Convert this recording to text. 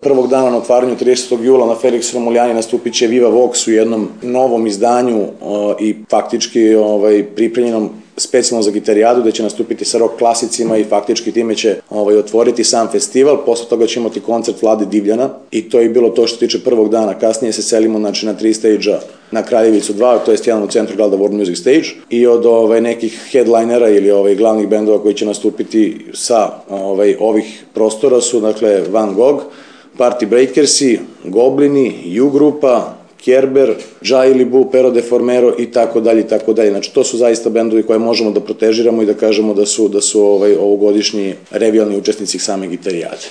Prvog dana na otvaranju 30. jula na Felix Romuljani nastupit će Viva Vox u jednom novom izdanju i faktički pripremljenom specijalno za gitarijadu, gde će nastupiti sa rock klasicima i faktički time će otvoriti sam festival. Posle toga će imati koncert Vlade Divljana i to je bilo to što se tiče prvog dana. Kasnije se selimo na 3 stage-a na Kraljevicu 2, to je jedan u centru grada World Music Stage, i od nekih headlinera ili glavnih bendova koji će nastupiti sa ovih prostora su dakle Van Gogh, Party Breakersi, Goblini, U-grupa, Kerber, Džaili Bu, Pero de Formero i tako dalje i tako dalje. Znači to su zaista bendovi koje možemo da protežiramo i da kažemo da su ovogodišnji revijalni učesnici same gitarijade.